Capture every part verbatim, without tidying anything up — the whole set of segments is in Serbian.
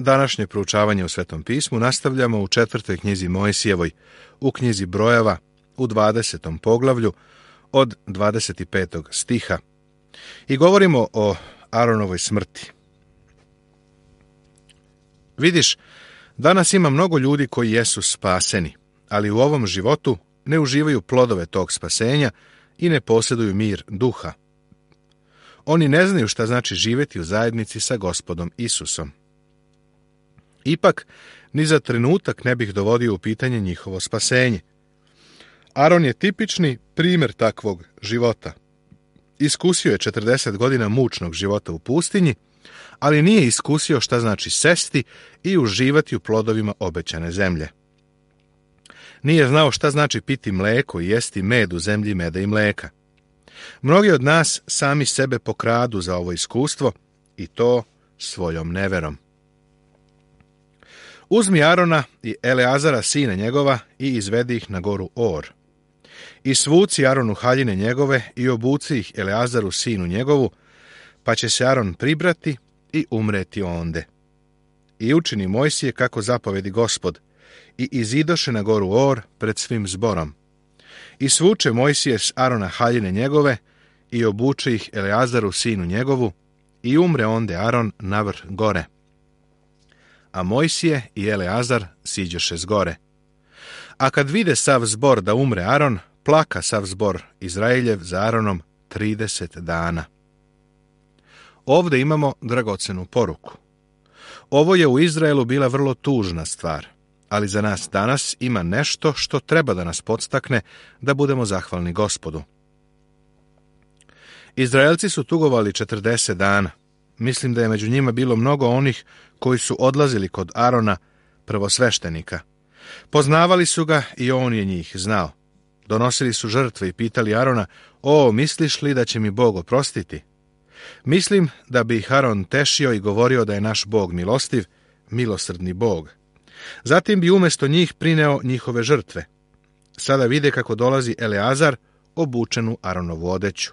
Današnje proučavanje u Svetom pismu nastavljamo u četvrtoj knjizi Mojsijevoj, u knjizi Brojeva, u dvadesetom poglavlju, od dvadeset petog stiha. I govorimo o Aronovoj smrti. Vidiš, danas ima mnogo ljudi koji jesu spaseni, ali u ovom životu ne uživaju plodove tog spasenja i ne posjeduju mir duha. Oni ne znaju šta znači živjeti u zajednici sa Gospodom Isusom. Ipak, ni za trenutak ne bih dovodio u pitanje njihovo spasenje. Aron je tipični primjer takvog života. Iskusio je četrdeset godina mučnog života u pustinji, ali nije iskusio šta znači sesti i uživati u plodovima obećane zemlje. Nije znao šta znači piti mleko i jesti med u zemlji meda i mleka. Mnogi od nas sami sebe pokradu za ovo iskustvo i to svojom neverom. Uzmi Arona i Eleazara sina njegova i izvedi ih na goru Or. I svuci Aronu haljine njegove i obuci ih Eleazaru sinu njegovu, pa će se Aron pribrati i umreti onde. I učini Mojsije kako zapovedi Gospod, i izidoše na goru Or pred svim zborom. I svuče Mojsije s Arona haljine njegove i obuče ih Eleazaru sinu njegovu, i umre onde Aron na vrh gore. A Mojsije i Eleazar siđoše s gore. A kad vide sav zbor da umre Aron, plaka sav zbor Izraeljev za Aronom trideset dana. Ovdje imamo dragocenu poruku. Ovo je u Izraelu bila vrlo tužna stvar, ali za nas danas ima nešto što treba da nas podstakne da budemo zahvalni Gospodu. Izraelci su tugovali četrdeset dana. Mislim da je među njima bilo mnogo onih koji su odlazili kod Arona, prvosveštenika. Poznavali su ga i on je njih znao. Donosili su žrtve i pitali Arona, o, misliš li da će mi Bog oprostiti? Mislim da bi ih Aron tešio i govorio da je naš Bog milostiv, milosrdni Bog. Zatim bi umjesto njih prineo njihove žrtve. Sada vide kako dolazi Eleazar obučen u Aronovu odeću.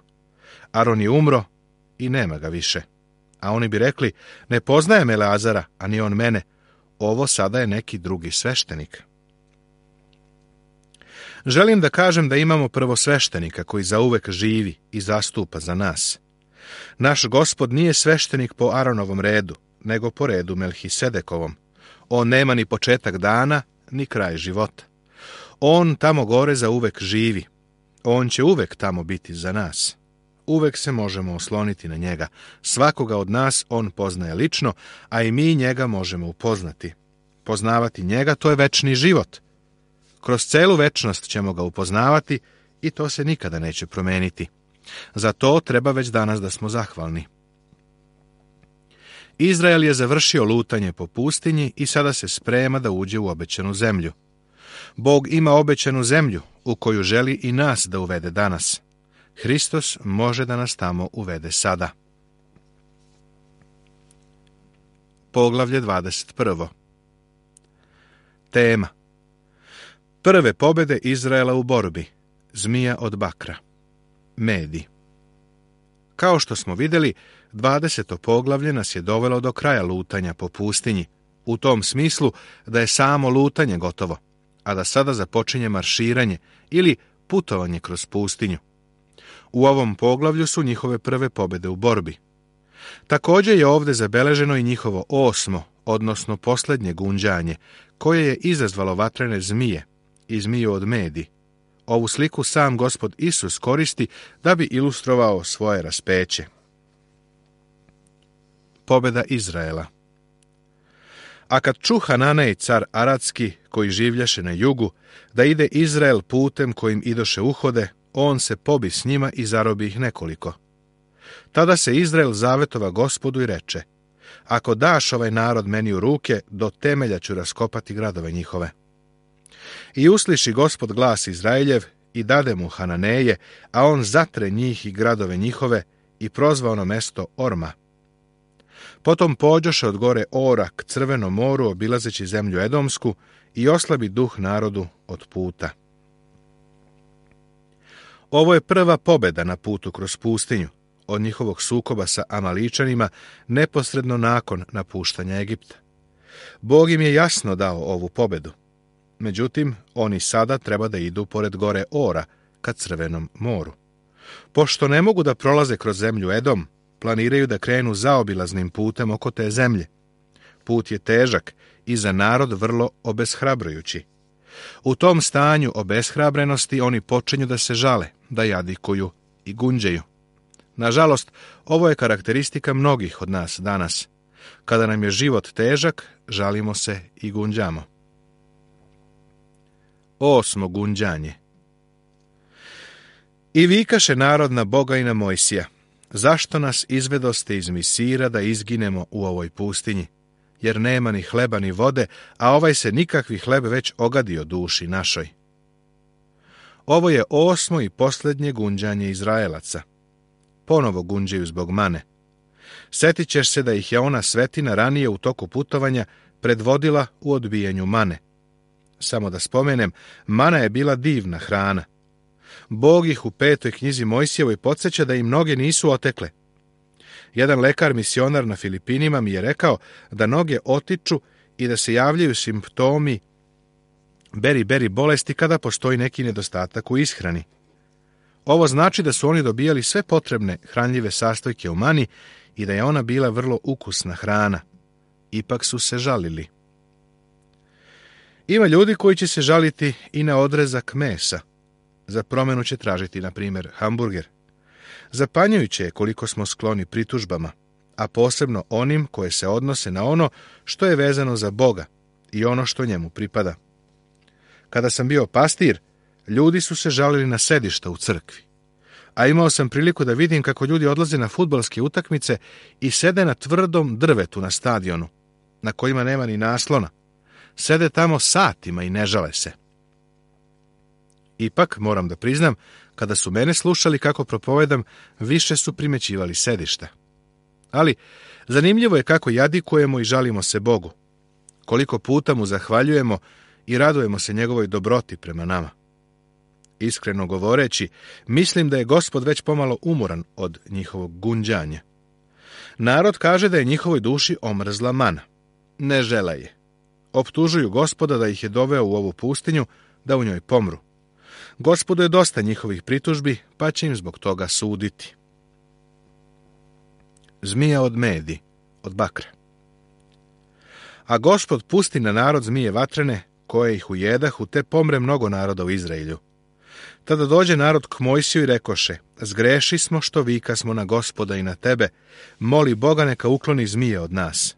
Aron je umro i nema ga više. A oni bi rekli, ne poznajem Eleazara, a ni on mene. Ovo sada je neki drugi sveštenik. Želim da kažem da imamo prvosveštenika koji zauvek živi i zastupa za nas. Naš Gospod nije sveštenik po Aronovom redu, nego po redu Melhisedekovom. On nema ni početak dana, ni kraj života. On tamo gore zauvek živi. On će uvek tamo biti za nas. Uvek se možemo osloniti na njega. Svakoga od nas on poznaje lično, a i mi njega možemo upoznati. Poznavati njega, to je večni život. Kroz celu večnost ćemo ga upoznavati i to se nikada neće promeniti. Za to treba već danas da smo zahvalni. Izrael je završio lutanje po pustinji i sada se sprema da uđe u obećanu zemlju. Bog ima obećanu zemlju u koju želi i nas da uvede danas. Hristos može da nas tamo uvede sada. Poglavlje dvadeset prvo. Tema. Prve pobjede Izraela u borbi. Zmija od bakra. Medi. Kao što smo vidjeli, dvadeseto poglavlje nas je dovelo do kraja lutanja po pustinji, u tom smislu da je samo lutanje gotovo, a da sada započinje marširanje ili putovanje kroz pustinju. U ovom poglavlju su njihove prve pobjede u borbi. Također je ovdje zabeleženo i njihovo osmo, odnosno posljednje gunđanje, koje je izazvalo vatrene zmije i zmiju od medi. Ovu sliku sam Gospod Isus koristi da bi ilustrovao svoje raspeće. Pobjeda Izraela. A kad ču Hananej car Aradski, koji življaše na jugu, da ide Izrael putem kojim idoše uhode, on se pobi s njima i zarobi ih nekoliko. Tada se Izrael zavetova Gospodu i reče, ako daš ovaj narod meni u ruke, do temelja ću raskopati gradove njihove. I usliši Gospod glas Izraeljev i dade mu Hananeje, a on zatre njih i gradove njihove i prozva ono mesto Orma. Potom pođoše od gore Ora k Crvenom moru, obilazeći zemlju Edomsku, i oslabi duh narodu od puta. Ovo je prva pobjeda na putu kroz pustinju, od njihovog sukoba sa Amaličanima neposredno nakon napuštanja Egipta. Bog im je jasno dao ovu pobedu. Međutim, oni sada treba da idu pored gore Ora, ka Crvenom moru. Pošto ne mogu da prolaze kroz zemlju Edom, planiraju da krenu zaobilaznim putem oko te zemlje. Put je težak i za narod vrlo obeshrabrujući. U tom stanju obeshrabrenosti oni počinju da se žale, da jadikuju i gunđaju. Nažalost, ovo je karakteristika mnogih od nas danas. Kada nam je život težak, žalimo se i gunđamo. Osmo gunđanje. I vikaše narod na Boga i na Mojsija: zašto nas izvedoste iz Misira da izginemo u ovoj pustinji? Jer nema ni hleba ni vode, a ovaj se nikakvi hleb već ogadio duši našoj. Ovo je osmo i posljednje gunđanje Izraelaca. Ponovo gunđaju zbog mane. Setit ćeš se da ih je ona svetina ranije u toku putovanja predvodila u odbijanju mane. Samo da spomenem, mana je bila divna hrana. Bog ih u petoj knjizi Mojsijevoj podsjeća da im noge nisu otekle. Jedan lekar misionar na Filipinima mi je rekao da noge otiču i da se javljaju simptomi beri-beri bolesti kada postoji neki nedostatak u ishrani. Ovo znači da su oni dobijali sve potrebne hranljive sastojke u mani i da je ona bila vrlo ukusna hrana. Ipak su se žalili. Ima ljudi koji će se žaliti i na odrezak mesa. Za promjenu će tražiti, na primjer, hamburger. Zapanjujuće je koliko smo skloni pritužbama, a posebno onim koje se odnose na ono što je vezano za Boga i ono što njemu pripada. Kada sam bio pastir, ljudi su se žalili na sedišta u crkvi. A imao sam priliku da vidim kako ljudi odlaze na fudbalske utakmice i sede na tvrdom drvetu na stadionu, na kojima nema ni naslona. Sede tamo satima i ne žale se. Ipak, moram da priznam, kada su mene slušali kako propovedam, više su primećivali sedišta. Ali, zanimljivo je kako jadikujemo i žalimo se Bogu. Koliko puta mu zahvaljujemo i radujemo se njegovoj dobroti prema nama. Iskreno govoreći, mislim da je Gospod već pomalo umoran od njihovog gunđanja. Narod kaže da je njihovoj duši omrzla mana. Ne žele je. Optužuju Gospoda da ih je doveo u ovu pustinju, da u njoj pomru. Gospodu je dosta njihovih pritužbi, pa će im zbog toga suditi. Zmija od medi, od bakra. A Gospod pusti na narod zmije vatrene, koje ih ujedahu, te pomre mnogo naroda u Izraelju. Tada dođe narod k Mojsiju i rekoše: zgreši smo što vika smo na Gospoda i na tebe, moli Boga neka ukloni zmije od nas.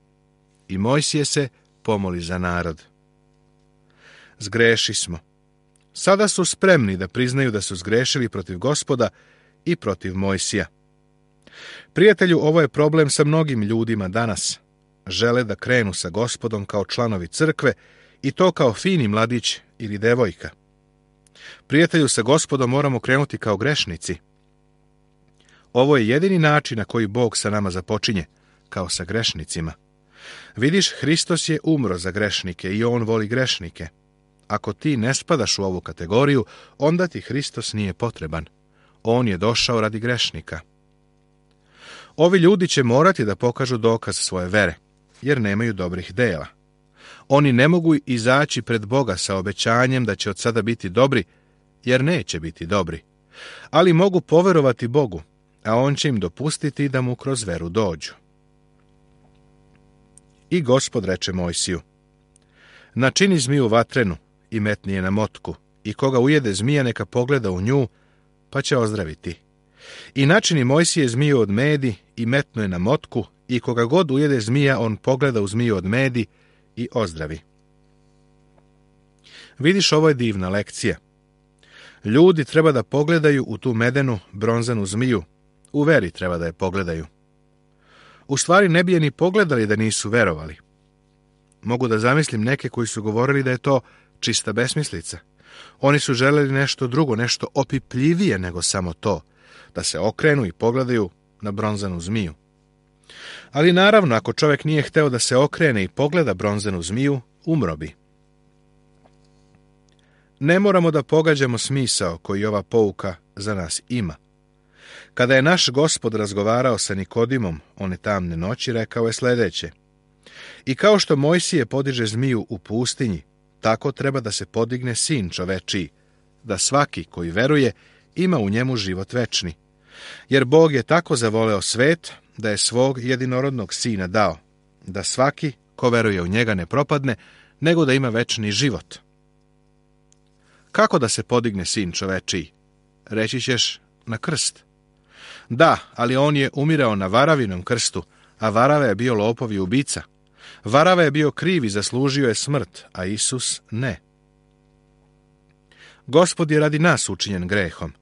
I Mojsije se pomoli za narod. Zgreši smo. Sada su spremni da priznaju da su zgrešili protiv Gospoda i protiv Mojsija. Prijatelju, ovo je problem sa mnogim ljudima danas. Žele da krenu sa Gospodom kao članovi crkve i to kao fini mladić ili devojka. Prijatelju, sa Gospodom moramo krenuti kao grešnici. Ovo je jedini način na koji Bog sa nama započinje, kao sa grešnicima. Vidiš, Hristos je umro za grešnike i on voli grešnike. Ako ti ne spadaš u ovu kategoriju, onda ti Hristos nije potreban. On je došao radi grešnika. Ovi ljudi će morati da pokažu dokaz svoje vere, jer nemaju dobrih dela. Oni ne mogu izaći pred Boga sa obećanjem da će od sada biti dobri, jer neće biti dobri. Ali mogu poverovati Bogu, a on će im dopustiti da mu kroz veru dođu. I Gospod reče Mojsiju: načini zmiju vatrenu i metni je na motku, i koga ujede zmija neka pogleda u nju, pa će ozdraviti. I načini Mojsije zmiju od medi i metnu je na motku, i koga god ujede zmija, on pogleda u zmiju od medi i ozdravi. Vidiš, ovo je divna lekcija. Ljudi treba da pogledaju u tu medenu, bronzanu zmiju. U veri treba da je pogledaju. U stvari ne bi je ni pogledali da nisu verovali. Mogu da zamislim neke koji su govorili da je to čista besmislica. Oni su želeli nešto drugo, nešto opipljivije nego samo to, da se okrenu i pogledaju na bronzanu zmiju. Ali naravno, ako čovjek nije hteo da se okrene i pogleda bronzanu zmiju, umro bi. Ne moramo da pogađamo smisao koji ova pouka za nas ima. Kada je naš Gospod razgovarao sa Nikodimom one tamne noći, rekao je sljedeće: I kao što Mojsije podiže zmiju u pustinji, tako treba da se podigne sin čovečiji, da svaki koji veruje ima u njemu život večni. Jer Bog je tako zavoleo svet da je svog jedinorodnog sina dao, da svaki ko veruje u njega ne propadne, nego da ima večni život. Kako da se podigne sin čovečiji? Reći ćeš, na krst. Da, ali on je umirao na Varavinom krstu, a Varava je bio lopov i ubica. Varava je bio kriv i zaslužio je smrt, a Isus ne. Gospod je radi nas učinjen grehom.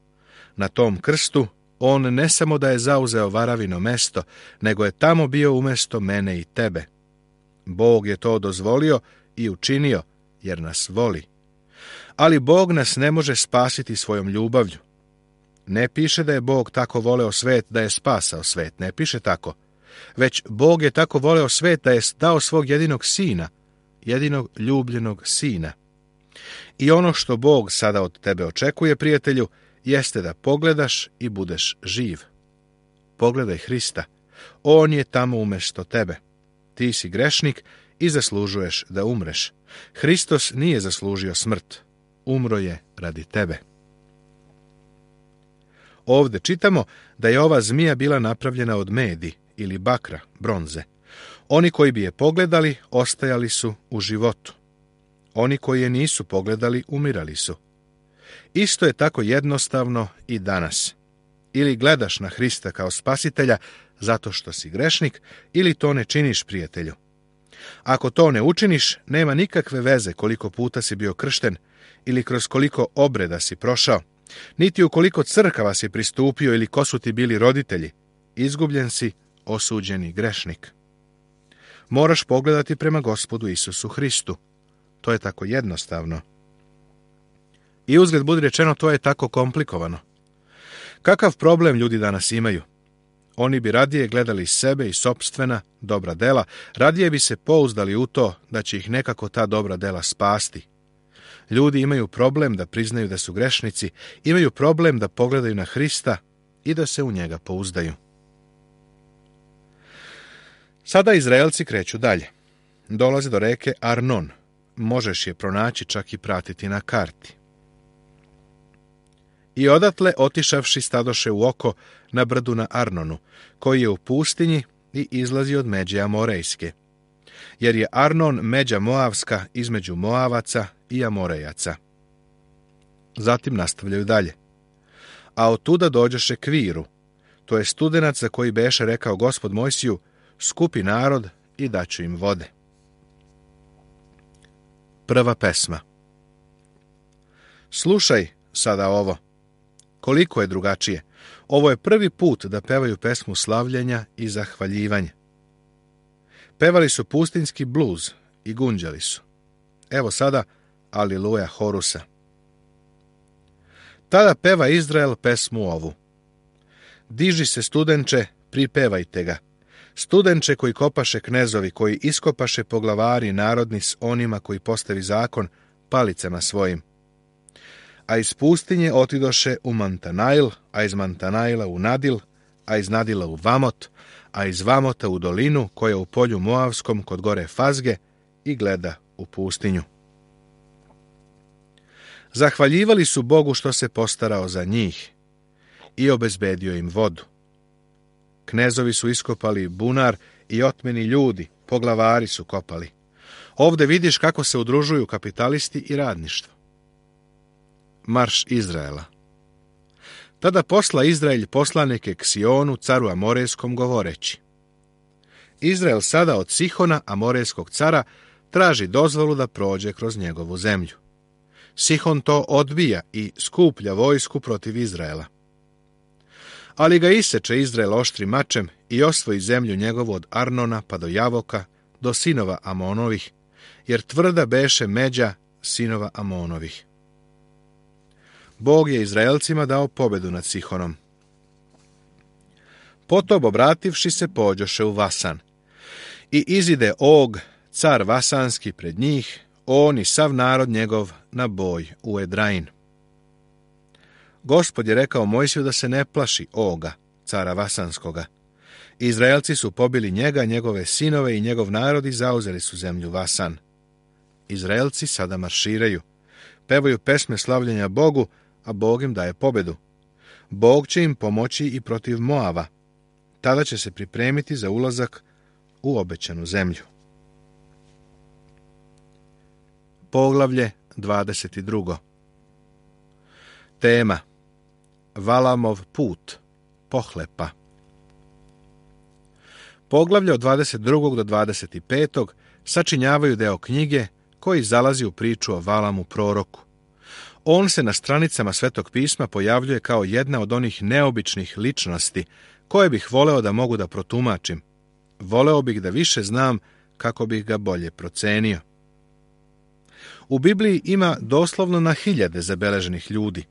Na tom krstu on ne samo da je zauzeo Varavino mesto, nego je tamo bio umesto mene i tebe. Bog je to dozvolio i učinio, jer nas voli. Ali Bog nas ne može spasiti svojom ljubavlju. Ne piše da je Bog tako voleo svet da je spasao svet, ne piše tako. Već Bog je tako voleo svet da je dao svog jedinog sina, jedinog ljubljenog sina. I ono što Bog sada od tebe očekuje, prijatelju, jeste da pogledaš i budeš živ. Pogledaj Hrista. On je tamo umjesto tebe. Ti si grešnik i zaslužuješ da umreš. Hristos nije zaslužio smrt. Umro je radi tebe. Ovdje čitamo da je ova zmija bila napravljena od medi ili bakra, bronze. Oni koji bi je pogledali, ostajali su u životu. Oni koji je nisu pogledali, umirali su. Isto je tako jednostavno i danas. Ili gledaš na Hrista kao spasitelja zato što si grešnik, ili to ne činiš, prijatelju. Ako to ne učiniš, nema nikakve veze koliko puta si bio kršten ili kroz koliko obreda si prošao, niti u koliko crkava si pristupio ili ko su ti bili roditelji. Izgubljen si, osuđeni grešnik. Moraš pogledati prema Gospodu Isusu Hristu. To je tako jednostavno. I uzgled budi rečeno, to je tako komplikovano. Kakav problem ljudi danas imaju? Oni bi radije gledali sebe i sopstvena dobra dela, radije bi se pouzdali u to da će ih nekako ta dobra dela spasti. Ljudi imaju problem da priznaju da su grešnici, imaju problem da pogledaju na Hrista i da se u njega pouzdaju. Sada Izraelci kreću dalje. Dolaze do reke Arnon. Možeš je pronaći, čak i pratiti na karti. I odatle, otišavši, stadoše u oko na brdu na Arnonu, koji je u pustinji i izlazi od međe Amorejske. Jer je Arnon međa Moavska između Moavaca i Amorejaca. Zatim nastavljaju dalje. A otuda dođoše k Viru, to je studenac za koji beše rekao Gospod Mojsiju, skupi narod i daću im vode. Prva pesma. Slušaj sada ovo. Koliko je drugačije. Ovo je prvi put da pevaju pesmu slavljenja i zahvaljivanja. Pevali su pustinski bluz i gunđali su. Evo sada Aliluja Horusa. Tada peva Izrael pesmu ovu. Diži se studenče, pripevajte ga. Studenče koji kopaše knezovi, koji iskopaše poglavari narodni s onima koji postavi zakon palicama svojim. A iz pustinje otidoše u Mantanail, a iz Mantanaila u Nadil, a iz Nadila u Vamot, a iz Vamota u dolinu koja je u polju Moavskom kod gore Fazge i gleda u pustinju. Zahvaljivali su Bogu što se postarao za njih i obezbedio im vodu. Knezovi su iskopali bunar i otmeni ljudi, poglavari su kopali. Ovdje vidiš kako se udružuju kapitalisti i radništvo. Marš Izraela. Tada posla Izrael poslanike k Sionu, caru Amorejskom, govoreći. Izrael sada od Sihona, Amorejskog cara, traži dozvolu da prođe kroz njegovu zemlju. Sihon to odbija i skuplja vojsku protiv Izraela. Ali ga iseče Izrael oštrim mačem i osvoji zemlju njegovu od Arnona pa do Javoka, do sinova Amonovih, jer tvrda beše međa sinova Amonovih. Bog je Izraelcima dao pobedu nad Sihonom. Potom, obrativši se, pođoše u Vasan. I izide Og, car Vasanski, pred njih, on i sav narod njegov na boj u Edrain. Gospod je rekao Mojsiju da se ne plaši Oga, cara Vasanskoga, Izraelci su pobili njega, njegove sinove i njegov narod i zauzeli su zemlju Vasan. Izraelci sada marširaju. Pevaju pesme slavljenja Bogu, a Bog im daje pobedu. Bog će im pomoći i protiv Moava. Tada će se pripremiti za ulazak u obećanu zemlju. Poglavlje dvadeset dva. Tema: Valamov put, pohlepa. Poglavlje od dvadeset drugog do dvadeset petog sačinjavaju deo knjige koji zalazi u priču o Valamu proroku. On se na stranicama Svetog pisma pojavljuje kao jedna od onih neobičnih ličnosti koje bih voleo da mogu da protumačim. Voleo bih da više znam kako bih ga bolje procenio. U Bibliji ima doslovno na hiljade zabeleženih ljudi.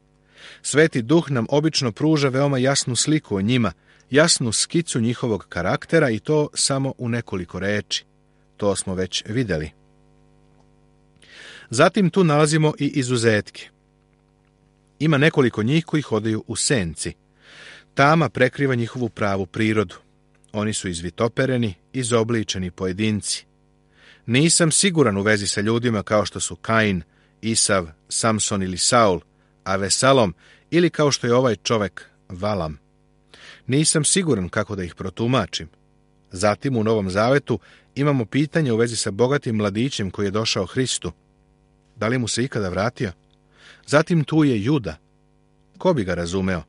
Sveti Duh nam obično pruža veoma jasnu sliku o njima, jasnu skicu njihovog karaktera i to samo u nekoliko reči. To smo već vidjeli. Zatim tu nalazimo i izuzetke. Ima nekoliko njih koji hodaju u senci. Tama prekriva njihovu pravu prirodu. Oni su izvitopereni, izobličeni pojedinci. Nisam siguran u vezi sa ljudima kao što su Kain, Isav, Samson ili Saul, a Vesalom ili kao što je ovaj čovek Valam. Nisam siguran kako da ih protumačim. Zatim u Novom Zavetu imamo pitanje u vezi sa bogatim mladićem koji je došao Hristu. Da li mu se ikada vratio? Zatim tu je Juda. Ko bi ga razumeo?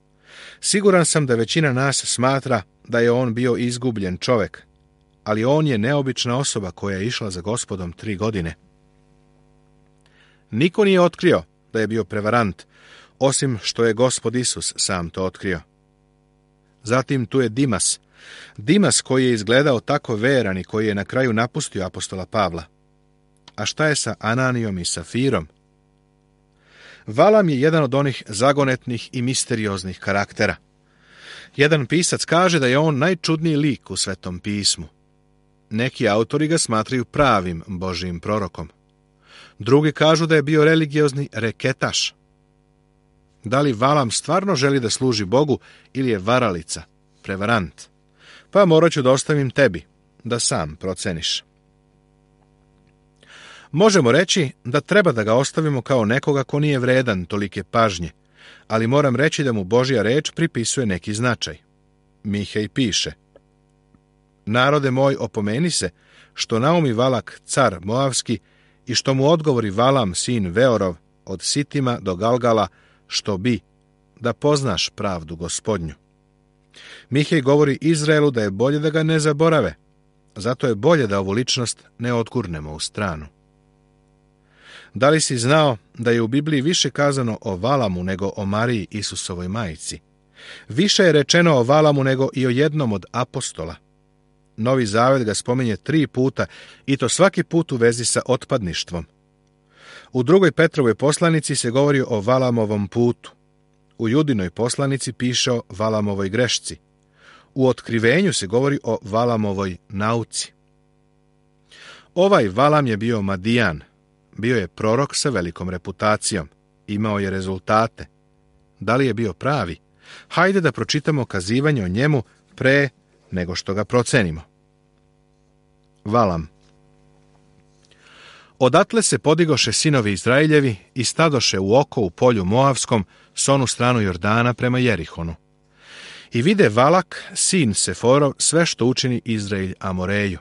Siguran sam da većina nas smatra da je on bio izgubljen čovek, ali on je neobična osoba koja je išla za Gospodom tri godine. Niko nije otkrio da je bio prevarant, osim što je Gospod Isus sam to otkrio. Zatim tu je Dimas. Dimas koji je izgledao tako veran i koji je na kraju napustio apostola Pavla. A šta je sa Ananijom i Safirom? Valam je jedan od onih zagonetnih i misterioznih karaktera. Jedan pisac kaže da je on najčudniji lik u Svetom pismu. Neki autori ga smatraju pravim Božijim prorokom. Drugi kažu da je bio religiozni reketaš. Da li Valam stvarno želi da služi Bogu ili je varalica, prevarant? Pa morat ću da ostavim tebi, da sam proceniš. Možemo reći da treba da ga ostavimo kao nekoga ko nije vredan tolike pažnje, ali moram reći da mu Božja reč pripisuje neki značaj. Mihej piše: Narode moj, opomeni se, što naumi Valak, car Moavski, i što mu odgovori Valam, sin Veorov, od Sitima do Galgala, što bi, da poznaš pravdu Gospodnju. Mihej govori Izraelu da je bolje da ga ne zaborave, zato je bolje da ovu ličnost ne odgurnemo u stranu. Da li si znao da je u Bibliji više kazano o Valamu nego o Mariji, Isusovoj majci? Više je rečeno o Valamu nego i o jednom od apostola. Novi Zavet ga spominje tri puta i to svaki put u vezi sa otpadništvom. U drugoj Petrovoj poslanici se govori o Valamovom putu. U Judinoj poslanici piše o Valamovoj grešci. U Otkrivenju se govori o Valamovoj nauci. Ovaj Valam je bio Madijan. Bio je prorok sa velikom reputacijom. Imao je rezultate. Da li je bio pravi? Hajde da pročitamo kazivanje o njemu pre nego što ga procenimo. Valam. Odatle se podigoše sinovi Izraeljevi i stadoše u oko u polju Moavskom s onu stranu Jordana prema Jerihonu. I vide Valak, sin Seforov, sve što učini Izraelj Amoreju.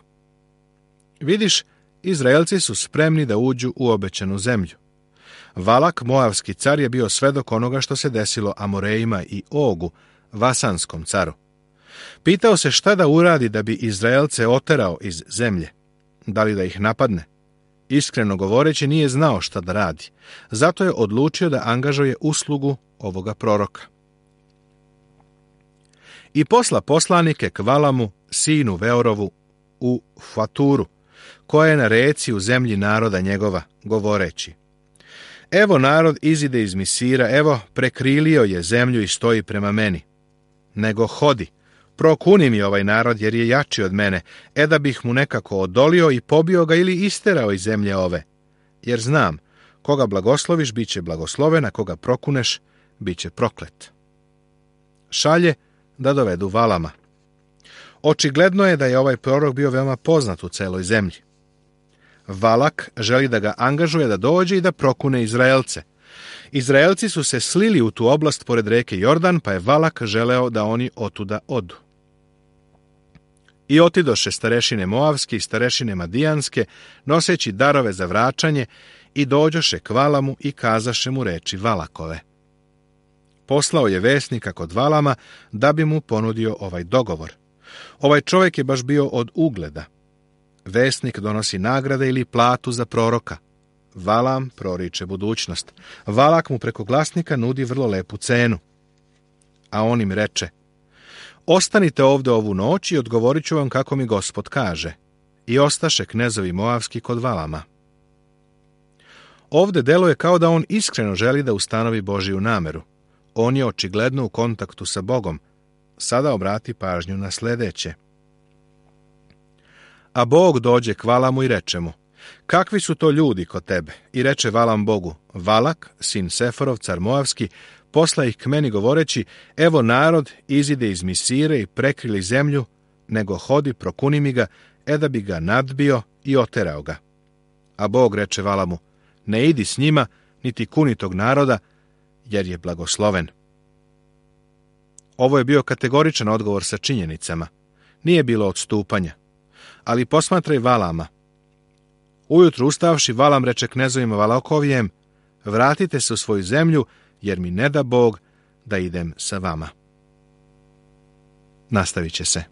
Vidiš, Izraelci su spremni da uđu u obećanu zemlju. Valak, Moavski car, je bio svedok onoga što se desilo Amorejima i Ogu, Vasanskom caru. Pitao se šta da uradi da bi Izraelce oterao iz zemlje. Da li da ih napadne? Iskreno govoreći, nije znao šta da radi. Zato je odlučio da angažuje uslugu ovoga proroka. I posla poslanike k Valamu, sinu Veorovu, u Faturu, koja je na reci u zemlji naroda njegova, govoreći: Evo narod izide iz Misira, evo prekrilio je zemlju i stoji prema meni. Nego hodi, prokuni mi ovaj narod jer je jači od mene, e da bih mu nekako odolio i pobio ga ili isterao iz zemlje ove. Jer znam, koga blagosloviš, bit će blagosloven, a koga prokuneš, bit će proklet. Šalje da dovedu Valama. Očigledno je da je ovaj prorok bio veoma poznat u celoj zemlji. Valak želi da ga angažuje da dođe i da prokune Izraelce. Izraelci su se slili u tu oblast pored reke Jordan, pa je Valak želeo da oni otuda odu. I otidoše starešine Moavske i starešine Madijanske, noseći darove za vraćanje, i dođoše k Valamu i kazaše mu reči Valakove. Poslao je vesnika kod Valama da bi mu ponudio ovaj dogovor. Ovaj čovjek je baš bio od ugleda. Vesnik donosi nagrade ili platu za proroka. Valam proriče budućnost. Valak mu preko glasnika nudi vrlo lepu cenu. A on im reče: ostanite ovdje ovu noć i odgovorit ću vam kako mi Gospod kaže. I ostaše knezovi Moavski kod Valama. Ovdje deluje kao da on iskreno želi da ustanovi Božiju nameru. On je očigledno u kontaktu sa Bogom. Sada obrati pažnju na sljedeće. A Bog dođe k Valamu i reče mu: kakvi su to ljudi kod tebe? I reče Valam Bogu: Valak, sin Seforov, car Moavski, posla ih k meni govoreći: evo narod izide iz Misire i prekrili zemlju, nego hodi, prokuni mi ga, e da bi ga nadbio i oterao ga. A Bog reče Valamu: ne idi s njima, niti kuni tog naroda, jer je blagosloven. Ovo je bio kategoričan odgovor sa činjenicama. Nije bilo odstupanja. Ali posmatraj Valama. Ujutru ustavši, Valam reče knezovima Valakovijem: vratite se u svoju zemlju, jer mi ne da Bog da idem sa vama. Nastavit će se.